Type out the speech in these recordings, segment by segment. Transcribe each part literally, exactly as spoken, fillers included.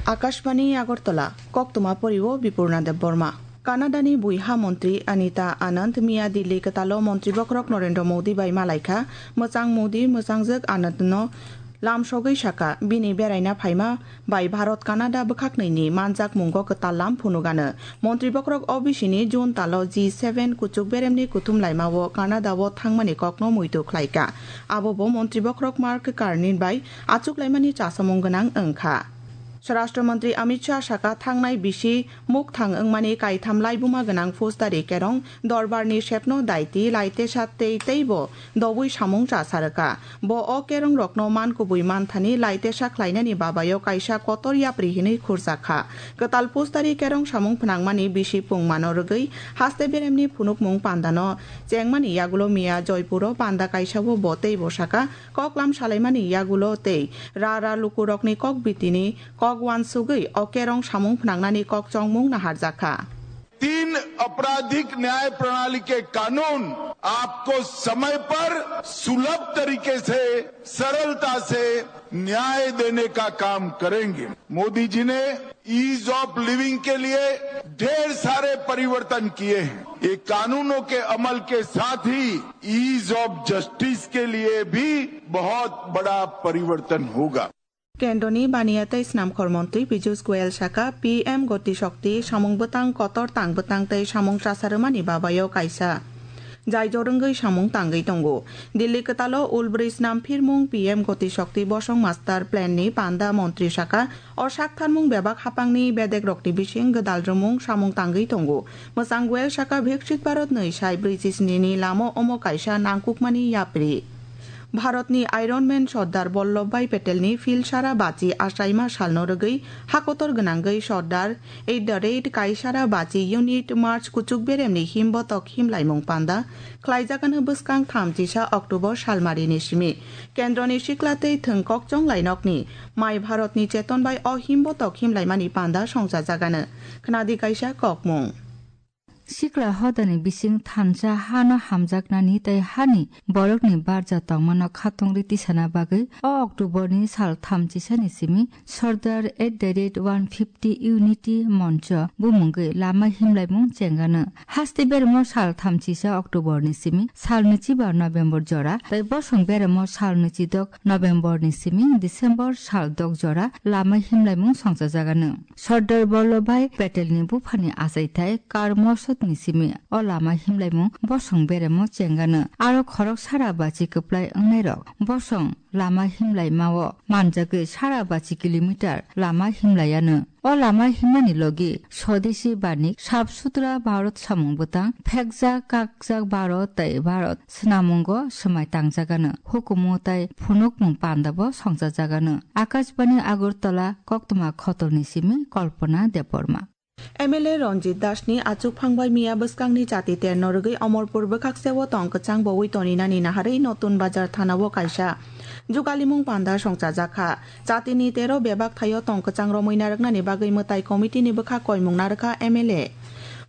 Akashbani Agartala, koktwma porio Bipurna Debbarma. Canada ni buiha montri Anita Anand miya Delhi kwtalo montri bokhorok Narendra Modi bai malaikha, mwchang Modi mwchangjwk Anand no lamsogwi sakha, bini beraina phaima bai Bharat Canada bwkhaknwi ni manjakmungo kwtal lam phunugano. Montri bokhorok o bisini June talo G seven kuchuk beremni kuthum laimao Canada o thangmani kokno muitu khlaikha. Abobo montri bokhorok Mark Carney bai achuklaimani chasamung gwnang wngkha. Swarashtra Mantri Amit Shah sakha, thangnai bisi mukthang wngmani kaitham laibuma gwnang Faujdari Kerong dorbarni sepno daiti laitesa tei teibo dobwi samung chasarwkha. Bo o kerongrokno man kubui manthani laitesa khlainani babayo kaisa kotor yapri hinwi khurjakha. Kwtal Faujdari Kerong samung phnangmani bisi pungmano rwgwi haste beremni phunukmung pandano chengmani yagulo miya Joypuro panda kaisao bo teibo sakha, koklam salaimani yagulo tei ra ra lukurokni kok bitini kok uansugwi o kerong samung phnangnani kok chongmung naharjakha. तीन आपराधिक न्याय प्रणाली के कानून आपको समय पर सुलभ तरीके से, सरलता से न्याय देने का काम करेंगे। मोदी जी ने ईज ऑफ लिविंग के लिए ढेर सारे परिवर्तन किए हैं। ये कानूनों के अमल के साथ ही ईज ऑफ जस्टिस के लिए भी बहुत बड़ा परिवर्तन होगा। Kendroni baniya tei snamkhor montri Piyush Goyal sakha, P M Gati Shakti samung bwtang kotor tang bwtang tei samung chasarwmani babayo kaisa jai jorwngwi samung tangwi tongo. Delhi kwtalo ulbrwi snamphirmung P M Gati Shakti bosong master plan ni panda montri sakha, o saktharmung bebak hapangni bedekrokni bising gwdal rwmung samung tangwi tongo. Mwchang Goyal sakha, Viksit Bharat nwi sai brwichi sni ni lama omo kaisa nangkukmani yapri. Bharatni Iron Man Sardar Vallabhbhai Patelni phil sara bachi achaima salno rwgwi hakotor gwnangwi Sardar at the rate kaisara bachi unit March kuchuk beremni himbotok himlaimung panda khlaijagano bwskang thamchisa October salmarini simi. Kendroni sikla tei thwng kokchong lainokni Mai Bharatni cheton bai o himbotok himlaimani panda songchajagano. Khnadi kaisa kokmung. Sikla hodani bising thansa hano hamjaknani tei hani borokni barja tongmano khatungri tisana bagwi o October ni sal thamchisani simi Sardar at the rate one fifty Unity Moncho bumungwi lama himlaimung chengano. Haste beremo sal thamchisa October ni simi sal nwichiba November jora tei bosong beremo sal nwichidok November ni simi December sal dok jora lama himlaimung songchajagano. Sardar Vallabhbhai Patelni buphani achaithai Kar Mosodni simi o lama himlaimung bosong beremo chengano. Aro khorok sara bachi kwplai wngnairok bosong lama himlaimao manjagwi sara bachi kilometer lama himlaiano. O lama himnani logi Swadeshi Banik, Sap Sutra Bharat samung bwtang, phekjak kakjak Bharat tei Bharat swnamungo swmai tangjagano. Hukumu tei phunukmung pandabo songchajagano. Akashbani Agartala, koktwma khotolni simi Kalpana Debbarma. M L A Ranjit Dasni achukphang bai miya bwskangni chati terno rwgwi Omorpur bwkhakseo tong kwchang bowi toninani naharwi Notun Bazar thanao kaisa jugalimung panda songchajakha. Chatini tero bebak thaio tong kwchang romwi narwknani bagwi mwtai committee ni bwkha koimung narwkha M L A.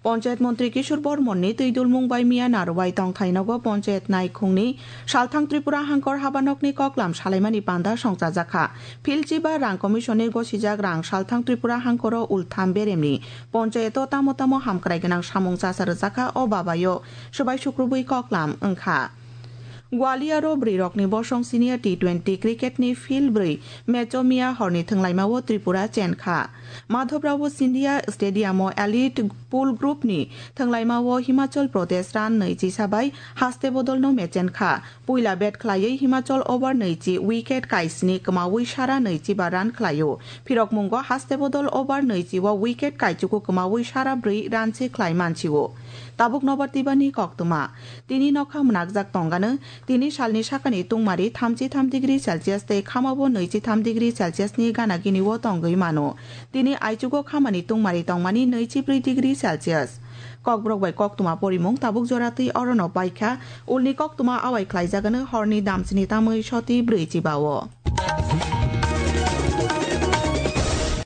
Panchayat montri Kishore Bormonni twidulmung bai miya narwai tongthai nogo panchayat naikhungni Salthang Tripura hangkor habanokni koklam salaimani panda songchajakha. Philchi ba rang commission ni gosijak rang Salthang Tripura hangkoro ultham beremni panchayato tamo tamo hamkrai gwnang samung chasa rwjakha, o babayo swbai sukrubwi koklam wngkha. Gwaliaro bwrwirokni bosong senior T twenty cricket ni field bwrwi match o miya horni thwnglaimao Tripura chenkha. Madhavrao Scindia Stadium o elite pool group ni thwnglaimao Himachal Pradesh run nwichisa bai haste bodolno mechenkha. Puila bat khlaiwi Himachal over nwichi wicket kaisni kwmawi sara nwichiba run khlaio. Phirokmungo haste bodol over nwichi o wicket kaichuku kwmawi sara bwrwi run se khlai mansio. Tabuk nobar twibani koktwma. Tini nokha mwnakjak tongano, tini salni sakani tungmari thamchi tham degree Celsius tei khamabo nwichi tham degree Celsius ni gana gini o tongwi mano. Tini aichugo khamani tungmari tongmani nwichi brwi degree Celsius. Kokborok bai koktwma porimung tabuk jora twi orono paikha, ulni koktwma awai khlaijagano horni damchini tamwi soti brwi chibao.